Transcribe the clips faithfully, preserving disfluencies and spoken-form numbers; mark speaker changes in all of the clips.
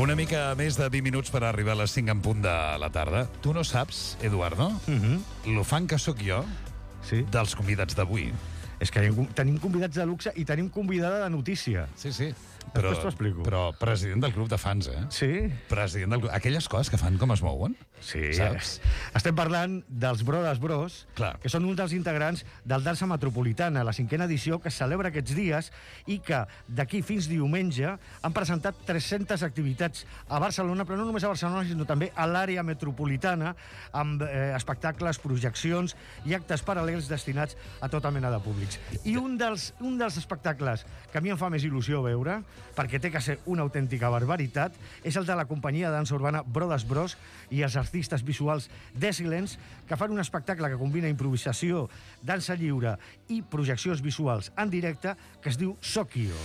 Speaker 1: Una mica més de vint minuts per arribar a les cinc en punt de la tarda. Tu no saps, Eduardo,
Speaker 2: Mm-hmm.
Speaker 1: lo fan que sóc jo
Speaker 2: Sí.
Speaker 1: dels convidats d'avui.
Speaker 2: És que tenim convidats de luxe i tenim convidada de notícia.
Speaker 1: Sí, sí.
Speaker 2: Després t'ho explico.
Speaker 1: Però president del club de fans, eh?
Speaker 2: Sí?
Speaker 1: President del club. Aquelles coses que fan com es mouen.
Speaker 2: Sí.
Speaker 1: Saps?
Speaker 2: Estem parlant dels Brothers Bros,
Speaker 1: Clar.
Speaker 2: que són un dels integrants del Dansa Metropolitana, la cinquena edició que es celebra aquests dies i que d'aquí fins diumenge han presentat tres-centes activitats a Barcelona, però no només a Barcelona, sinó també a l'àrea metropolitana, amb eh, espectacles, projeccions i actes paral·lels destinats a tota mena de públics. I un dels, un dels espectacles que a mi em fa més il·lusió veure, perquè té que ser una autèntica barbaritat, és el de la companyia de dansa urbana Brothers Bros i els artistes visuals Desilence, que fan un espectacle que combina improvisació, dansa lliure i projeccions visuals en directe, que es diu Sokio.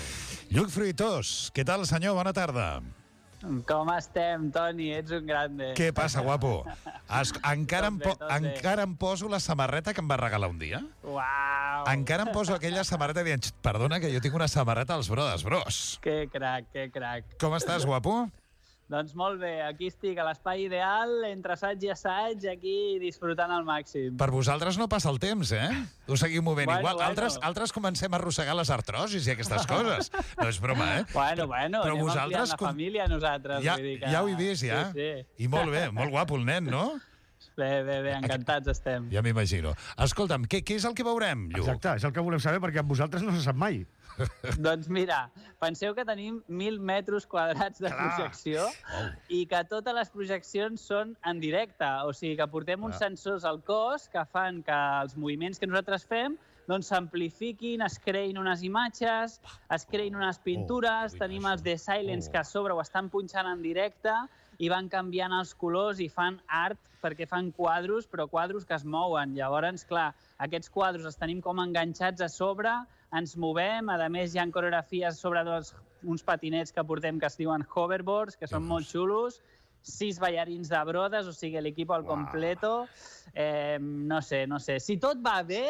Speaker 1: Lluc Fruitós, què tal, senyor? Bona tarda.
Speaker 3: Com estem, Toni? Ets un grande.
Speaker 1: Què passa, guapo? Es, encara, em po,
Speaker 3: Tot bé, tot bé.
Speaker 1: encara em poso la samarreta que em va regalar un dia.
Speaker 3: Uau!
Speaker 1: Encara em poso aquella samarreta dient, perdona, que jo tinc una samarreta als Brothers Bros.
Speaker 3: Que crac, que crac.
Speaker 1: Com estàs, guapo?
Speaker 3: Doncs molt bé, aquí estic a l'espai ideal, entre assaig i assaig, aquí disfrutant al màxim.
Speaker 1: Per vosaltres no passa el temps, eh? Ho seguim movent
Speaker 3: Bueno,
Speaker 1: igual.
Speaker 3: bueno.
Speaker 1: Altres, altres comencem a arrossegar les artrosis i aquestes coses. No és broma, eh?
Speaker 3: Bueno, bueno,
Speaker 1: Però
Speaker 3: anem
Speaker 1: vosaltres
Speaker 3: ampliant la
Speaker 1: com-
Speaker 3: família nosaltres.
Speaker 1: Ja,
Speaker 3: vull dir que...
Speaker 1: ja ho he vist, ja.
Speaker 3: Sí, sí.
Speaker 1: I molt bé, molt guapo el nen, no?
Speaker 3: Bé, bé, bé, encantats estem.
Speaker 1: Ja m'imagino. Escolta'm, què, què és el que veurem, Lluc?
Speaker 2: Exacte, és el que volem saber, perquè amb vosaltres no se sap mai.
Speaker 3: Doncs mira, penseu que tenim mil metres quadrats de
Speaker 2: Clar.
Speaker 3: projecció i que totes les projeccions són en directe. O sigui que portem uns sensors al cos que fan que els moviments que nosaltres fem doncs s'amplifiquin, es creïn unes imatges, es creïn unes pintures,
Speaker 1: Oh,
Speaker 3: tenim els The Silence que a sobre ho estan punxant en directe i van canviant els colors i fan art perquè fan quadros, però quadros que es mouen. Llavors, clar, aquests quadros els tenim com enganxats a sobre, ens movem, a més hi ha coreografies sobre dos, uns patinets que portem que es diuen hoverboards, que són molt xulos, sis ballarins de brodes, o sigui, l'equip al completo. Eh, no sé, no sé. Si tot va bé,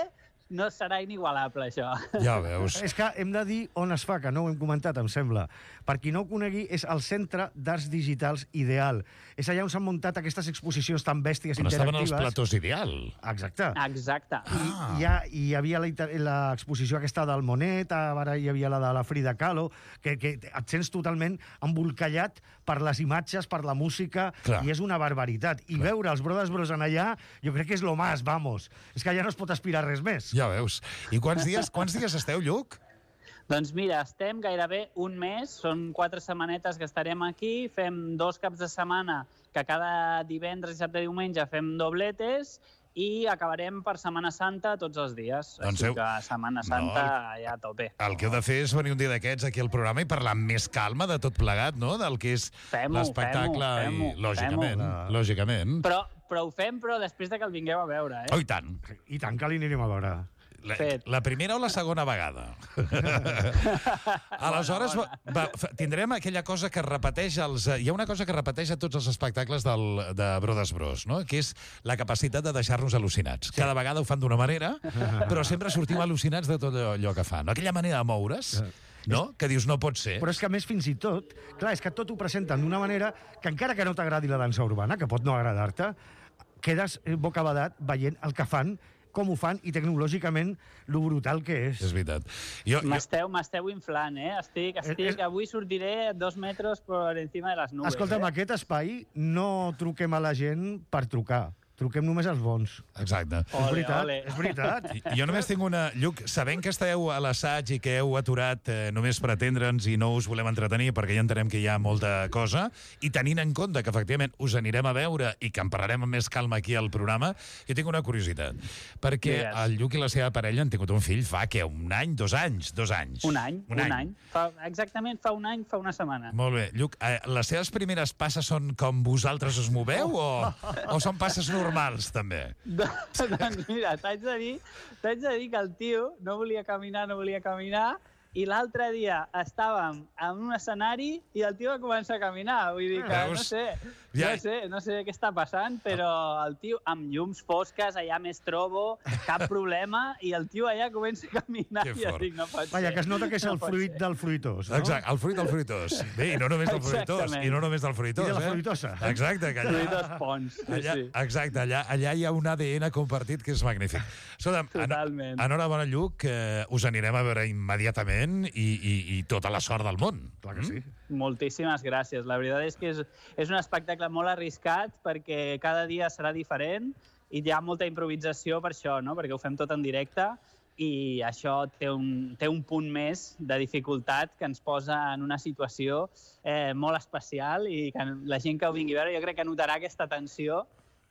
Speaker 3: no serà inigualable, això.
Speaker 1: Ja veus.
Speaker 2: És que hem de dir on es fa, que no ho hem comentat, em sembla. Per qui no ho conegui, és el Centre d'Arts Digitals Ideal. És allà on s'han muntat aquestes exposicions tan bèsties
Speaker 1: On estaven els
Speaker 2: interactives.
Speaker 1: platós ideal.
Speaker 2: Exacte.
Speaker 3: Exacte.
Speaker 2: I hi, ha, hi havia la inter- l'exposició aquesta del Monet, ara hi havia la de la Frida Kahlo, que, que et sents totalment embolcallat per les imatges, per la música,
Speaker 1: Clar.
Speaker 2: i és una barbaritat. I veure els Brothers Bros en allà, jo crec que és lo más, vamos. És que allà no es pot aspirar res més.
Speaker 1: Ja veus. I quants dies, quants dies esteu, Lluc?
Speaker 3: Doncs mira, estem gairebé un mes, són quatre setmanetes que estarem aquí, fem dos caps de setmana, que cada divendres, dissabte i diumenge fem dobletes, i acabarem per Setmana Santa tots els dies.
Speaker 1: Doncs
Speaker 3: Així
Speaker 1: heu-
Speaker 3: que Setmana Santa ja a tope.
Speaker 1: El que heu de fer és venir un dia d'aquests aquí al programa i parlar amb més calma de tot plegat, no?, del que és
Speaker 3: Fem-ho,
Speaker 1: l'espectacle.
Speaker 3: fem-ho,
Speaker 1: I,
Speaker 3: fem-ho,
Speaker 1: lògicament,
Speaker 2: fem-ho.
Speaker 1: lògicament.
Speaker 3: Però, però ho fem però després de que el vingueu a veure, eh?
Speaker 1: Oh, i tant.
Speaker 2: I tant que li anirem a veure.
Speaker 1: La,
Speaker 3: Fet.
Speaker 1: la primera o la segona vegada? Aleshores,
Speaker 3: Bona,
Speaker 1: va, va, tindrem aquella cosa que repeteix els... Hi ha una cosa que repeteix a tots els espectacles del, de Brothers Bros, no?, que és la capacitat de deixar-nos al·lucinats. Sí. Cada vegada ho fan d'una manera, però sempre sortim al·lucinats de tot allò que fan. Aquella manera de moure's, no?, que dius no pot ser.
Speaker 2: Però és que, a més, fins i tot, clar, és que tot ho presenten d'una manera que, encara que no t'agradi la dansa urbana, que pot no agradar-te, quedes eh, bocabadat veient el que fan, com ho fan, i tecnològicament lo brutal que és.
Speaker 1: És veritat. Jo, jo,
Speaker 3: M'esteu m'esteu inflant, eh? Estic, estic,
Speaker 2: És-
Speaker 3: avui sortiré dos metres per encima de les nubes.
Speaker 2: Escolta'm,
Speaker 3: eh?
Speaker 2: aquest espai no truquem a la gent per trucar. Truquem només als bons.
Speaker 1: exacte.
Speaker 2: És
Speaker 3: Ole,
Speaker 2: veritat,
Speaker 3: ole.
Speaker 2: és veritat.
Speaker 1: I- Jo només tinc una... Lluc, sabent que esteu a l'assaig i que heu aturat eh, només per atendre'ns i no us volem entretenir perquè ja entenem que hi ha molta cosa, i tenint en compte que efectivament us anirem a veure i que en parlarem amb més calma aquí al programa, jo tinc una curiositat. Perquè
Speaker 3: Digues.
Speaker 1: el Lluc i la seva parella han tingut un fill fa, què, un any, dos anys? Dos anys.
Speaker 3: Un any, un, un any. Fa, exactament fa un any, fa una setmana.
Speaker 1: Molt bé. Lluc, eh, les seves primeres passes són com vosaltres us moveu o, o són passes normals, també?
Speaker 3: Doncs mira, t'haig de dir, t'haig de dir que el tio no volia caminar, no volia caminar, i l'altre dia estàvem en un escenari i el tio va començar a caminar. Vull dir que no sé, no sé, no sé què està passant, però el tio amb llums fosques, allà més trobo, cap problema, i el tio allà comença a caminar. I jo dic, no pot ser.
Speaker 2: Vaja, que es nota que és el fruit del fruitós, no?
Speaker 1: Exacte, el fruit del fruitós. Bé, i no només del fruitós, i no només del fruitós,
Speaker 2: I de la
Speaker 1: eh?
Speaker 2: fruitosa.
Speaker 1: Exacte, que allà...
Speaker 3: Fruitós Pons, sí,
Speaker 1: allà,
Speaker 3: sí.
Speaker 1: Exacte, allà, allà hi ha un A D N compartit que és magnífic. Escolta'm,
Speaker 3: Totalment.
Speaker 1: En, enhorabona, Lluc, eh, us anirem a veure immediatament i, i, i tota la sort del món.
Speaker 2: Clar que sí.
Speaker 3: Moltíssimes gràcies. La veritat és que és, és un espectacle molt arriscat perquè cada dia serà diferent i hi ha molta improvisació per això, no? Perquè ho fem tot en directe i això té un, té un punt més de dificultat que ens posa en una situació eh, molt especial i que la gent que ho vingui a veure jo crec que notarà aquesta tensió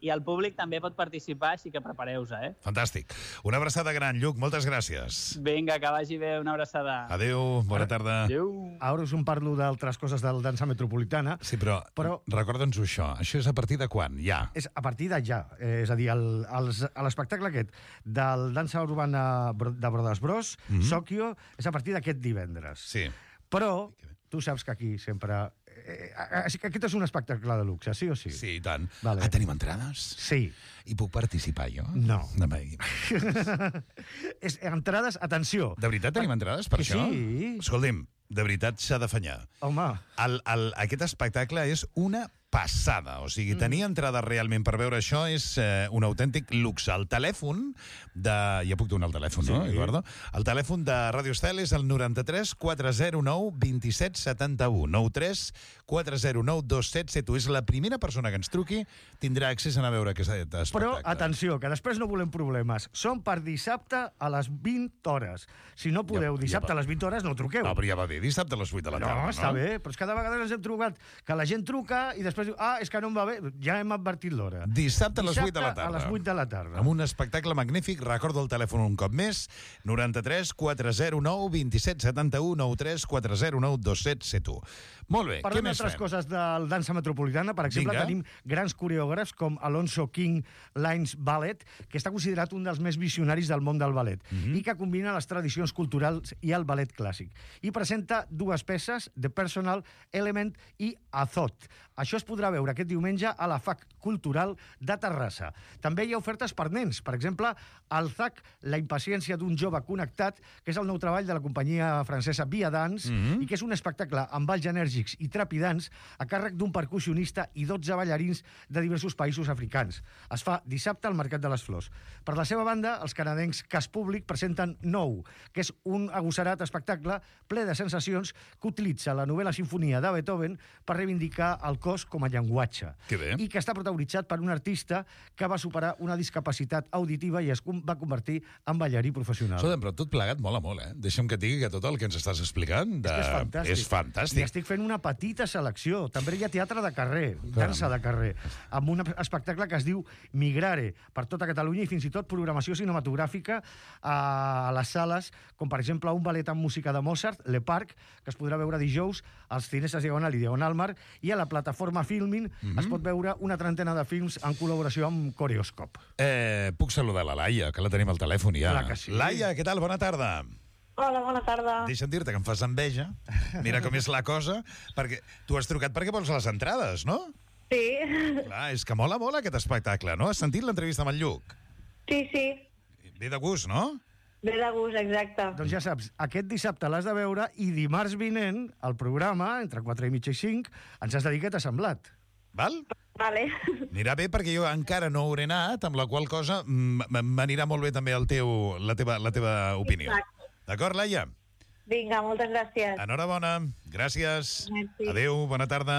Speaker 3: i el públic també pot participar, així que prepareu-vos, eh?
Speaker 1: Fantàstic. Una abraçada gran, Lluc, moltes gràcies.
Speaker 3: Vinga, que vagi bé, una abraçada.
Speaker 1: Adéu, bona tarda.
Speaker 3: Adéu.
Speaker 2: Ara us en parlo d'altres coses del Dansa Metropolitana.
Speaker 1: Sí, però, però... recorda'ns-ho això. Això és a partir de quan? Ja?
Speaker 2: És a partir de ja. Eh, és a dir, l'espectacle aquest del Dansa Urbana de Brodes Bros, mm-hmm. Sokio, és a partir d'aquest divendres.
Speaker 1: Sí.
Speaker 2: Però tu saps que aquí sempre... Eh, aquest és un espectacle de luxe, sí o sí?
Speaker 1: Sí, i tant.
Speaker 2: Vale.
Speaker 1: Ah, tenim entrades?
Speaker 2: Sí.
Speaker 1: I puc participar jo?
Speaker 2: No.
Speaker 1: No
Speaker 2: és, entrades, atenció.
Speaker 1: De veritat tenim entrades per
Speaker 2: que
Speaker 1: això?
Speaker 2: Sí.
Speaker 1: Escolti'm, de veritat s'ha d'afanyar.
Speaker 2: Home.
Speaker 1: El, el, aquest espectacle és una passada. O sigui, tenir entrada realment per veure això és eh, un autèntic luxe. El telèfon de... Ja puc donar el telèfon, sí. No, Eduardo? El telèfon de Radio Estel és el noranta-tres quatre zero nou dos set set u. noranta-tres quatre zero nou dos set set u. És la primera persona que ens truqui tindrà accés a anar a veure aquest espectacle.
Speaker 2: Però, atenció, que després no volem problemes. Són per dissabte a les vint hores. Si no podeu ja, dissabte ja a les vint hores, no truqueu.
Speaker 1: No, però ja va bé, dissabte a les vuit de la tarda, no?
Speaker 2: No, està bé, però és que cada vegada ens hem trobat que la gent truca i després diu, ah, és que no em va bé, ja hem advertit l'hora.
Speaker 1: Dissabte a les vuit de la tarda.
Speaker 2: a les vuit de la tarda.
Speaker 1: Amb un espectacle magnífic, recordo el telèfon un cop més, noranta-tres quatre zero nou dos set set u, noranta-tres quatre zero nou dos set set u. Molt bé,
Speaker 2: Parlem
Speaker 1: què més
Speaker 2: d'altres
Speaker 1: fem?
Speaker 2: coses del Dansa Metropolitana. Per exemple,
Speaker 1: Vinga.
Speaker 2: tenim grans coreògrafs com Alonso King Lines Ballet, que està considerat un dels més visionaris del món del ballet,
Speaker 1: Mhm.
Speaker 2: i que combina les tradicions culturals i el ballet clàssic. I presenta dues peces, The Personal Element i Azot. Això es podrà veure aquest diumenge a la F A C Cultural de Terrassa. També hi ha ofertes per nens. Per exemple, el Z A C, La impaciència d'un jove connectat, que és el nou treball de la companyia francesa Via Dance,
Speaker 1: Mhm.
Speaker 2: i que és un espectacle amb balls enèrgics i trepidants a càrrec d'un percussionista i dotze ballarins de diversos països africans. Es fa dissabte al Mercat de les Flors. Per la seva banda, els canadencs Cas Públic presenten Nou, que és un agosserat espectacle ple de sensacions que utilitza la novel·la sinfonia de Beethoven per reivindicar el cos com a llenguatge.
Speaker 1: Que bé.
Speaker 2: I que està protagonitzat per un artista que va superar una discapacitat auditiva i es va convertir en ballarí professional.
Speaker 1: Escolta, però tot plegat mola molt, eh? Deixa'm que et digui que tot el que ens estàs explicant... De...
Speaker 2: És que és fantàstic.
Speaker 1: És fantàstic.
Speaker 2: I estic fent una petita selecció. També hi ha teatre de carrer, dansa de carrer, amb un espectacle que es diu Migrare, per tota Catalunya, i fins i tot programació cinematogràfica a les sales, com per exemple un ballet amb música de Mozart, Le Parc, que es podrà veure dijous als Cineses Diagonal i Diagonal Mar, i a la plataforma Filmin mm-hmm. es pot veure una trentena de films en col·laboració amb Coreoscope.
Speaker 1: Eh, puc saludar la Laia, que la tenim al telèfon ja.
Speaker 2: Clar que sí.
Speaker 1: Laia, què tal? Bona tarda.
Speaker 4: Hola, bona tarda.
Speaker 1: Deixa'm dir-te que em fas enveja. Mira com és la cosa. Perquè tu has trucat perquè vols les entrades, no?
Speaker 4: Sí.
Speaker 1: Clar, és que mola molt aquest espectacle, no? Has sentit l'entrevista amb el Lluc?
Speaker 4: Sí, sí.
Speaker 1: Ve de gust, no?
Speaker 4: Ve de gust, exacte.
Speaker 2: Doncs ja saps, aquest dissabte l'has de veure i dimarts vinent, al programa, entre quatre i mitja i cinc, ens has de dir què t'ha semblat.
Speaker 1: Val?
Speaker 4: Vale.
Speaker 1: Anirà bé perquè jo encara no hauré anat, amb la qual cosa m'anirà molt bé també el teu, la, teva, la teva opinió.
Speaker 4: Exacte.
Speaker 1: D'acord, Laia?
Speaker 4: Vinga, moltes gràcies.
Speaker 1: Enhorabona, gràcies.
Speaker 4: Merci.
Speaker 1: Adéu, bona tarda.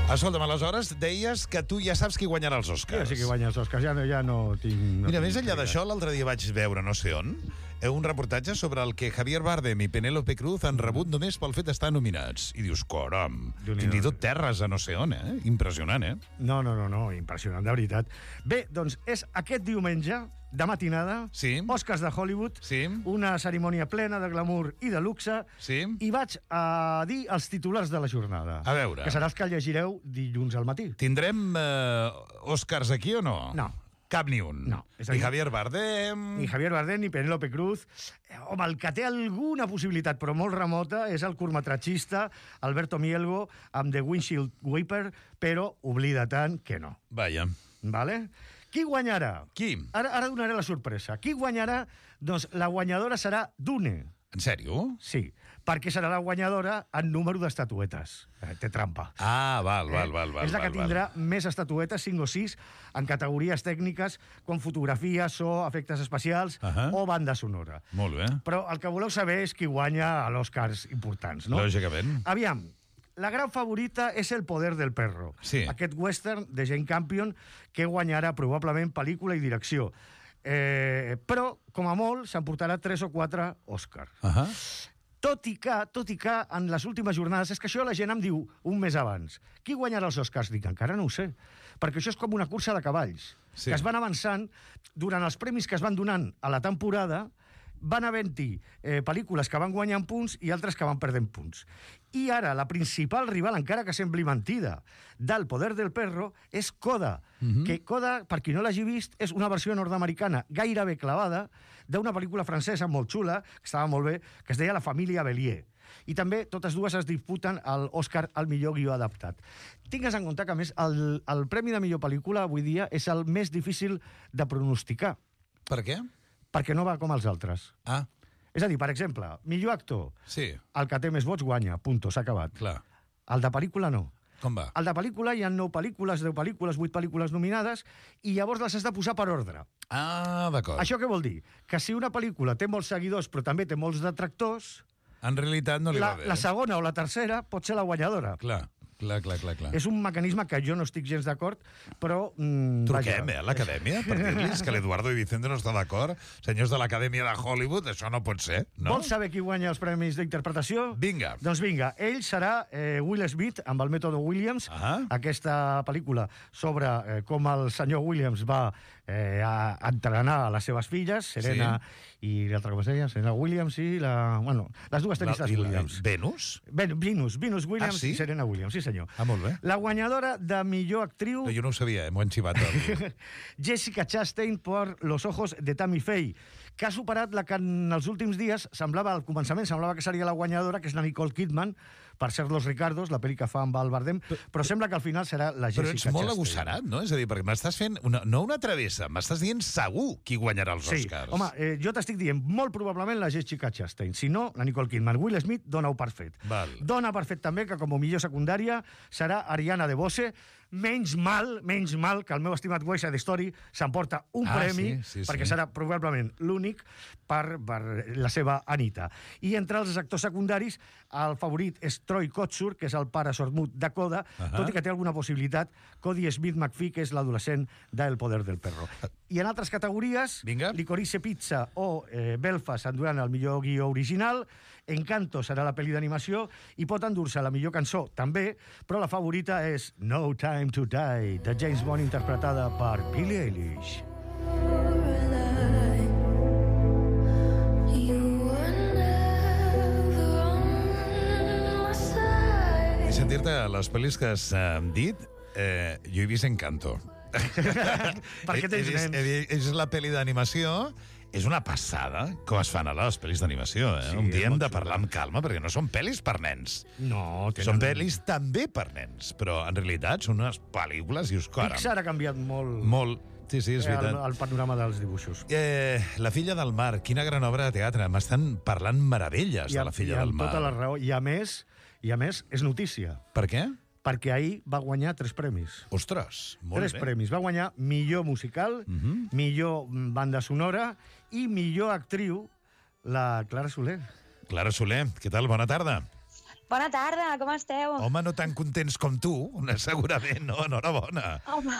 Speaker 1: Escolta'm, aleshores deies que tu ja saps qui guanyarà els Oscars.
Speaker 2: Jo sí que guanya els Oscars, ja no, ja no tinc... No
Speaker 1: Mira,
Speaker 2: tinc
Speaker 1: més enllà
Speaker 2: idea.
Speaker 1: d'això, l'altre dia vaig veure no sé on un reportatge sobre el que Javier Bardem i Penélope Cruz han rebut només pel fet d'estar nominats. I dius, caram,
Speaker 2: Déu-n'hi-do.
Speaker 1: fins i tot terres a no sé on, eh? Impressionant, eh?
Speaker 2: No, no, no, no, impressionant, de veritat. Bé, doncs és aquest diumenge, de matinada,
Speaker 1: Sí.
Speaker 2: Oscars de Hollywood,
Speaker 1: Sí.
Speaker 2: una cerimònia plena de glamour i de luxe,
Speaker 1: Sí.
Speaker 2: i vaig a dir els titulars de la jornada.
Speaker 1: A veure.
Speaker 2: Que serà els que llegireu dilluns al matí.
Speaker 1: Tindrem eh, Oscars aquí o no?
Speaker 2: No.
Speaker 1: Cap ni un.
Speaker 2: No, és a
Speaker 1: Ni
Speaker 2: dir-
Speaker 1: Javier Bardem...
Speaker 2: Ni Javier Bardem ni Penélope Cruz. Eh, Home, el que té alguna possibilitat, però molt remota, és el curtmetratgista Alberto Mielgo amb The Windshield Wiper, però oblida tant que no.
Speaker 1: Vaja.
Speaker 2: Vale? Qui guanyarà?
Speaker 1: Qui?
Speaker 2: Ara, ara donaré la sorpresa. Qui guanyarà? Doncs la guanyadora serà Dune.
Speaker 1: En sèrio?
Speaker 2: Sí, perquè serà la guanyadora en número d'estatuetes. Eh, té trampa.
Speaker 1: Ah, val, val, val. val
Speaker 2: és la que
Speaker 1: val,
Speaker 2: tindrà més estatuetes, cinc o sis, en categories tècniques com fotografia, so, efectes especials
Speaker 1: Ahà.
Speaker 2: o banda sonora.
Speaker 1: Val. Molt bé.
Speaker 2: Però el que voleu saber és qui guanya a l'Oscars importants, no?
Speaker 1: Lògicament.
Speaker 2: Aviam, la gran favorita és El poder del perro.
Speaker 1: Sí.
Speaker 2: Aquest western de Jane Campion que guanyarà probablement pel·lícula i direcció. Eh, però, com a molt, s'emportarà tres o quatre Oscars.
Speaker 1: Ahà.
Speaker 2: Tot i que, tot i que, en les últimes jornades, és que això la gent em diu un mes abans. Qui guanyarà els Oscars? Dic, encara no ho sé. Perquè això és com una cursa de cavalls,
Speaker 1: Sí.
Speaker 2: que es van avançant durant els premis que es van donant a la temporada, van havent-hi eh, pel·lícules que van guanyant punts i altres que van perdent punts. I ara, la principal rival, encara que sembli mentida, del Poder del Perro és Coda,
Speaker 1: Mhm.
Speaker 2: que Coda, per qui no l'hagi vist, és una versió nord-americana gairebé clavada d'una pel·lícula francesa molt xula, que estava molt bé, que es deia La família Bélier. I també totes dues es disputen l'Oscar al millor guió adaptat. Tingues en compte que, a més, el, el Premi de millor pel·lícula avui dia és el més difícil de pronosticar,
Speaker 1: Per què?
Speaker 2: perquè no va com els altres.
Speaker 1: Ah,
Speaker 2: És a dir, per exemple, millor actor,
Speaker 1: sí,
Speaker 2: el que té més vots guanya, punto, s'ha acabat.
Speaker 1: clar.
Speaker 2: El de pel·lícula no.
Speaker 1: Com va?
Speaker 2: El de pel·lícula hi ha nou pel·lícules, deu pel·lícules, vuit pel·lícules nominades, i llavors les has de posar per ordre.
Speaker 1: Ah, d'acord.
Speaker 2: Això què vol dir? Que si una pel·lícula té molts seguidors però també té molts detractors,
Speaker 1: En realitat no li
Speaker 2: la,
Speaker 1: va bé.
Speaker 2: la segona o la tercera pot ser la guanyadora.
Speaker 1: Clar, clar, clar, clar. clar.
Speaker 2: És un mecanisme que jo no estic gens d'acord, però... Mm,
Speaker 1: Truquem,
Speaker 2: vaja.
Speaker 1: eh, a l'acadèmia per dir-los que l'Eduardo i Vicente no està d'acord. Senyors de l'acadèmia de Hollywood, això no pot ser, no?
Speaker 2: Vols saber qui guanya els premis d'interpretació?
Speaker 1: Vinga.
Speaker 2: Doncs vinga, ell serà eh, Will Smith, amb el mètode Williams,
Speaker 1: Ah.
Speaker 2: aquesta pel·lícula sobre eh, com el senyor Williams va eh, a entrenar a les seves filles, Serena i l'altra, com es deia? Serena Williams i la... Bueno, les dues tenistes
Speaker 1: i la-
Speaker 2: Williams.
Speaker 1: Venus?
Speaker 2: Ben, Venus, Venus Williams
Speaker 1: Ah, sí?
Speaker 2: i Serena Williams, sí senyor.
Speaker 1: Ah, molt bé.
Speaker 2: La guanyadora de millor actriu...
Speaker 1: No, jo no ho sabia, eh? M'ho han xivat. El...
Speaker 2: Jessica Chastain per Los ojos de Tammy Faye, que ha superat la que en els últims dies semblava, al començament, semblava que seria la guanyadora, que és la Nicole Kidman, per ser Los Ricardos, la pel·li que fa amb el Bardem, però sembla que al final serà la
Speaker 1: Però
Speaker 2: Jessica
Speaker 1: ets molt
Speaker 2: Chastain.
Speaker 1: agosserat, no? És a dir, perquè m'estàs fent una, no una travessa, m'estàs dient segur qui guanyarà els
Speaker 2: Sí,
Speaker 1: Oscars.
Speaker 2: home, eh, jo t'estic dient molt probablement la Jessica Chastain. Si no, la Nicole Kidman. Will Smith dona-ho per fet.
Speaker 1: Val.
Speaker 2: Dona per fet també que com a millor secundària serà Ariana DeBose. Menys mal, menys mal que el meu estimat West Side Story s'emporta un
Speaker 1: Ah,
Speaker 2: premi,
Speaker 1: sí, sí,
Speaker 2: perquè
Speaker 1: sí.
Speaker 2: serà probablement l'únic per, per la seva Anita. I entre els actors secundaris, el favorit és Troy Kotsur, que és el pare sordmut de Coda,
Speaker 1: Ahà.
Speaker 2: tot i que té alguna possibilitat, Cody Smith McPhee, que és l'adolescent d'El poder del perro. I en altres categories,
Speaker 1: Vinga.
Speaker 2: Licorice Pizza o eh, Belfast enduran el millor guió original, Encanto serà la pel·li d'animació i pot endur-se la millor cançó també, però la favorita és No Time to Die, de James Bond, interpretada per Billie Eilish.
Speaker 1: I sentir-te les pel·lis que has eh, dit, eh, jo he vist Encanto.
Speaker 2: Perquè tens
Speaker 1: He vist-
Speaker 2: nens.
Speaker 1: he vist- És la pel·li d'animació. És una passada com es fan ara les pel·lis d'animació. Eh?
Speaker 2: Sí,
Speaker 1: Un
Speaker 2: és
Speaker 1: dia hem
Speaker 2: molt
Speaker 1: de parlar amb calma, perquè no són pel·lis per nens.
Speaker 2: No, tenen...
Speaker 1: Són pel·lis també per nens, però en realitat són unes pel·lícules i us coren.
Speaker 2: Pixar ha canviat molt,
Speaker 1: Molt. Sí, sí, és
Speaker 2: eh, el,
Speaker 1: veritat.
Speaker 2: el panorama dels dibuixos.
Speaker 1: Eh, La filla del mar, quina gran obra de teatre. M'estan parlant meravelles de La filla
Speaker 2: i
Speaker 1: del
Speaker 2: amb
Speaker 1: mar.
Speaker 2: tota la raó. I a més, i a més és notícia,
Speaker 1: Per què?
Speaker 2: perquè ahir va guanyar tres premis.
Speaker 1: Ostres, molt
Speaker 2: Tres
Speaker 1: bé.
Speaker 2: premis. Va guanyar millor musical,
Speaker 1: Mhm.
Speaker 2: millor mm, banda sonora i millor actriu, la Clara Soler.
Speaker 1: Clara Soler, què tal? Bona tarda.
Speaker 5: Bona tarda, com esteu?
Speaker 1: Home, no tan contents com tu, segurament, no? Enhorabona.
Speaker 5: Home,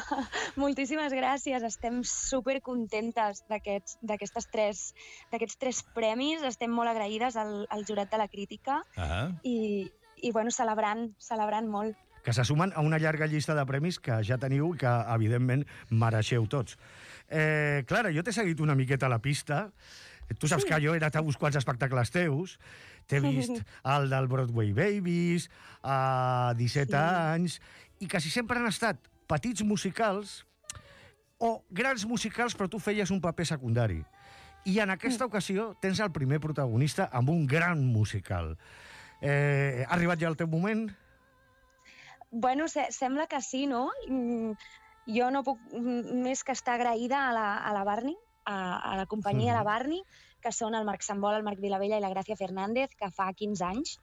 Speaker 5: moltíssimes gràcies. Estem supercontentes d'aquests d'aquestes tres, d'aquests tres premis. Estem molt agraïdes al, al jurat de la crítica
Speaker 1: Ah,
Speaker 5: i, i bueno, celebrant, celebrant molt.
Speaker 2: Que se sumen a una llarga llista de premis que ja teniu i que, evidentment, mereixeu tots. Eh, Clara, jo t'he seguit una miqueta a la pista. Tu saps
Speaker 5: Sí.
Speaker 2: que jo he anat a uns quants espectacles teus. T'he vist el del Broadway Babies, a disset
Speaker 5: Sí.
Speaker 2: anys, i quasi sempre han estat petits musicals o grans musicals però tu feies un paper secundari. I en aquesta ocasió tens el primer protagonista amb un gran musical. Eh, ha arribat ja el teu moment?
Speaker 5: Bueno, se sembla que sí, no? Mm, jo no puc més que estar agraïda a la, a la Barney, a, a la companyia mm. de Barney, que són el Marc Sambol, el Marc Vilavella i la Gràcia Fernández, que fa quinze anys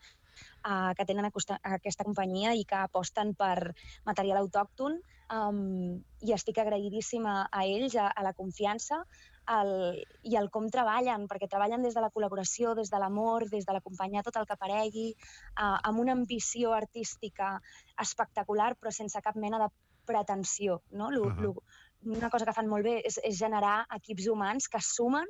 Speaker 5: uh, que tenen aquesta companyia i que aposten per material autòcton, um, i estic agraïdíssima a ells, a, a la confiança el, i el com treballen, perquè treballen des de la col·laboració, des de l'amor, des de l'acompanyar tot el que aparegui, uh, amb una ambició artística espectacular, però sense cap mena de pretensió, no? Lo, uh -huh. lo, una cosa que fan molt bé és, és generar equips humans que sumen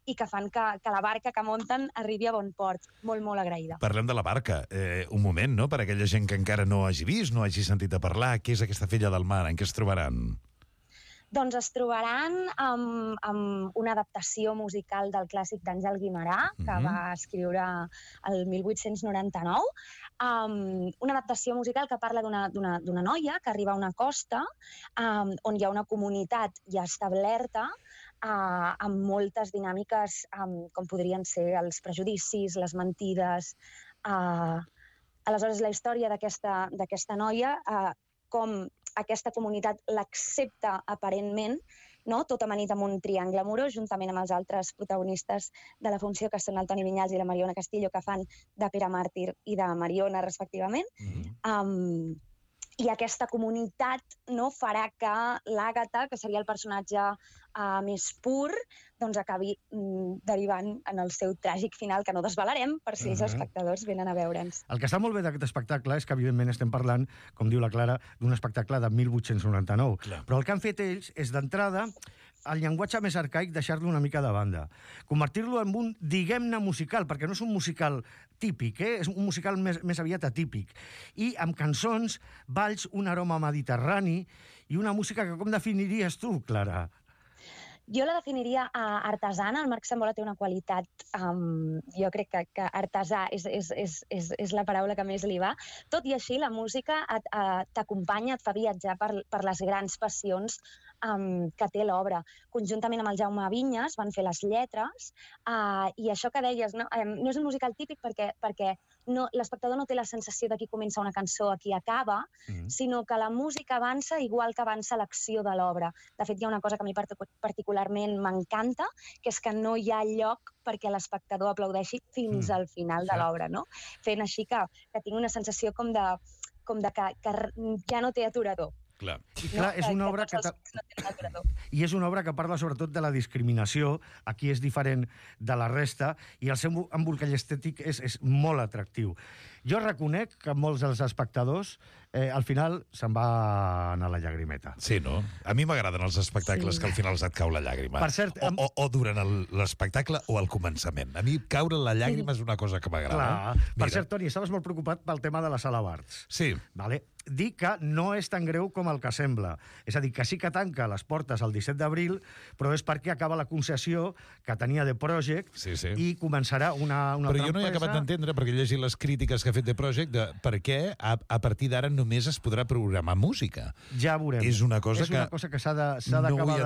Speaker 5: i que fan que, que la barca que munten arribi a bon port. Molt, molt agraïda.
Speaker 1: Parlem de la barca. Eh, un moment, no?, per a aquella gent que encara no hagi vist, no hagi sentit a parlar. Què és aquesta Filla del Mar? En què es trobaran?
Speaker 5: Doncs es trobaran amb, amb una adaptació musical del clàssic d'Àngel Guimerà, que mm-hmm. va escriure el mil vuit-cents noranta-nou, um, una adaptació musical que parla d'una noia que arriba a una costa um, on hi ha una comunitat ja establerta, uh, amb moltes dinàmiques um, com podrien ser els prejudicis, les mentides. Uh, aleshores, la història d'aquesta noia, uh, com aquesta comunitat l'accepta aparentment, no? Tot amanit amb un triangle amorós, juntament amb els altres protagonistes de la funció, que són el Toni Vinyals i la Mariona Castillo, que fan de Pere Màrtir i de Mariona, respectivament. Mm-hmm. um, I aquesta comunitat, no, farà que l'Àgata, que seria el personatge uh, més pur, doncs acabi mm, derivant en el seu tràgic final, que no desvelarem per si uh -huh. els espectadors venen a veure'ns.
Speaker 2: El que està molt bé d'aquest espectacle és que, evidentment, estem parlant, com diu la Clara, d'un espectacle de mil vuit-cents noranta-nou. Clar. Però el que han fet ells és, d'entrada, el llenguatge més arcaic deixar-lo una mica de banda. Convertir-lo en un, diguem-ne, musical, perquè no és un musical típic, eh? És un musical més, més aviat atípic. I amb cançons, balls, un aroma mediterrani i una música que com definiries tu, Clara?
Speaker 5: Jo la definiria uh, artesana. El Marc Sambola té una qualitat, um, jo crec que, que artesà és, és, és, és, és la paraula que més li va. Tot i així, la música t'acompanya, et fa viatjar per, per les grans passions um, que té l'obra. Conjuntament amb el Jaume Vinyes van fer les lletres, uh, i això que deies, no, um, no és un musical típic perquè, perquè no, l'espectador no té la sensació de qui comença una cançó a qui acaba, mm. sinó que la música avança igual que avança l'acció de l'obra. De fet, hi ha una cosa que a mi particularment m'encanta, que és que no hi ha lloc perquè l'espectador aplaudeixi fins mm. al final de l'obra, no? Fent així que, que tinc una sensació com de, com de que, que ja no té aturador.
Speaker 1: Clar.
Speaker 2: I clar, és una obra que... I és una obra que parla sobretot de la discriminació, aquí és diferent de la resta, i el seu embolcall estètic és, és molt atractiu. Jo reconec que molts dels espectadors eh, al final se'n va anar la llagrimeta.
Speaker 1: Sí, no? A mi m'agraden els espectacles sí. que al final et cau la llàgrima. Per cert, o, o, o durant l'espectacle o al començament. A mi caure la llàgrima sí. és una cosa que m'agrada.
Speaker 2: Per cert, Toni, estaves molt preocupat pel tema de la Sala Barts.
Speaker 1: Sí.
Speaker 2: Vale. Dir que no és tan greu com el que sembla. És a dir, que sí que tanca les portes el disset d'abril, però és perquè acaba la concessió que tenia The Project
Speaker 1: sí, sí.
Speaker 2: i començarà una, una
Speaker 1: però jo no he acabat d'entendre, perquè he llegit les crítiques que ha fet The Project, de per què a, a partir d'ara només es podrà programar música.
Speaker 2: Ja veurem.
Speaker 1: És una cosa
Speaker 2: és
Speaker 1: que...
Speaker 2: una cosa que s'ha d'acabar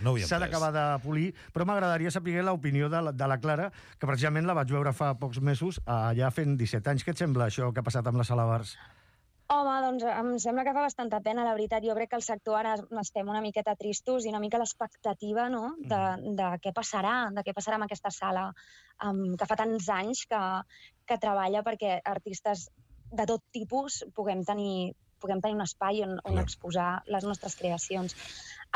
Speaker 1: no
Speaker 2: de, no de polir, però m'agradaria saber l'opinió de, la, de la Clara, que precisament la vaig veure fa pocs mesos, allà fent disset anys. Què et sembla això que ha passat amb la Sala Barts?
Speaker 5: Home, doncs em sembla que fa bastanta pena, la veritat. Jo crec que el sector ara estem una miqueta tristos i una mica l'expectativa, no?, de, de què passarà, de què passarà amb aquesta sala, um, que fa tants anys que, que treballa perquè artistes de tot tipus puguem tenir, puguem tenir un espai on, on exposar les nostres creacions.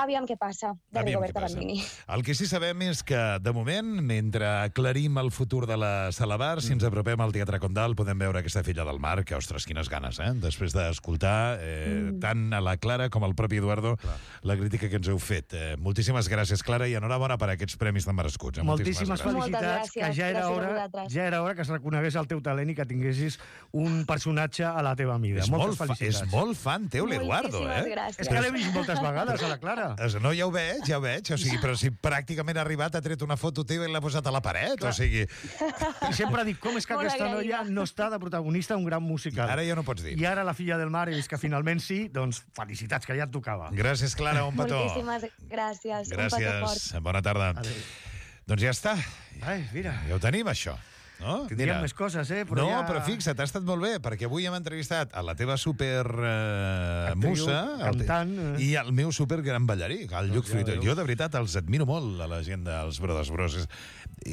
Speaker 5: Aviam què passa, de Rigoberta Bandini.
Speaker 1: El que sí sabem és que, de moment, mentre aclarim el futur de la Sala Barts, si ens apropem al Teatre Condal, podem veure aquesta Filla del Mar, que, ostres, quines ganes, eh? Després d'escoltar eh, mm. tant a la Clara com al propi Eduardo Clar. la crítica que ens heu fet. Eh, moltíssimes gràcies, Clara, i enhorabona per aquests premis tan merescuts. Eh?
Speaker 2: Moltíssimes, moltíssimes felicitats, que ja era, hora, ja era hora que es reconegués el teu talent i que tinguessis un personatge a la teva mida.
Speaker 1: És
Speaker 2: Moltes
Speaker 1: molt
Speaker 2: felicitats.
Speaker 1: És molt fan teu, l'Eduardo, eh?
Speaker 5: Gràcies.
Speaker 2: És que l'he vist moltes vegades, a la Clara. ara.
Speaker 1: No, ja ho veig, ja ho veig. O sigui, però si pràcticament ha arribat, ha tret una foto teva i l'ha posat a la paret. Clar. O sigui...
Speaker 2: I sempre dic, com és que
Speaker 5: Molt
Speaker 2: aquesta
Speaker 5: agraïda.
Speaker 2: noia no està de protagonista d'un gran musical?
Speaker 1: Ara ja no pots dir.
Speaker 2: I ara la filla del mar, he vist que finalment sí, doncs felicitats, que ja et tocava.
Speaker 1: Gràcies, Clara, un petó.
Speaker 5: Moltíssimes gràcies. Un petó fort.
Speaker 1: Gràcies, bona tarda.
Speaker 2: Adéu.
Speaker 1: Doncs ja està.
Speaker 2: Ai, mira.
Speaker 1: Ja ho tenim, això. No?
Speaker 2: Tindríem més coses, eh? Però
Speaker 1: no,
Speaker 2: ja...
Speaker 1: però fixa't, ha estat molt bé, perquè avui hem entrevistat a la teva super eh,
Speaker 2: Actriu,
Speaker 1: musa
Speaker 2: cantant,
Speaker 1: el,
Speaker 2: eh.
Speaker 1: i el meu super gran ballarí, el Lluc
Speaker 2: ja
Speaker 1: Fruitós.
Speaker 2: veus.
Speaker 1: Jo, de veritat, els admiro molt, a la gent dels Brothers Bros. És,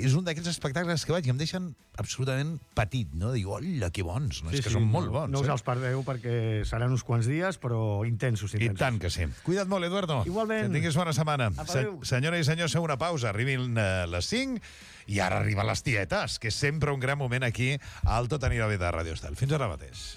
Speaker 1: és un d'aquells espectacles que vaig i em deixen absolutament petit, no? Dic, hola, que bons, no?
Speaker 2: Sí,
Speaker 1: és que
Speaker 2: sí,
Speaker 1: són molt
Speaker 2: no,
Speaker 1: bons.
Speaker 2: No us
Speaker 1: eh?
Speaker 2: els perdeu perquè seran uns quants dies, però intensos,
Speaker 1: I
Speaker 2: intensos.
Speaker 1: tant que sí. Cuida't molt, Eduardo.
Speaker 2: Igualment.
Speaker 1: Que tinguis bona setmana.
Speaker 2: Apa,
Speaker 1: Se
Speaker 2: adéu.
Speaker 1: senyora i senyors, feu una pausa. Arribin eh, les cinc i ara arriben les tietes, que és sempre un gran moment aquí al Tot anirà bé de Radio Estel. Fins ara mateix.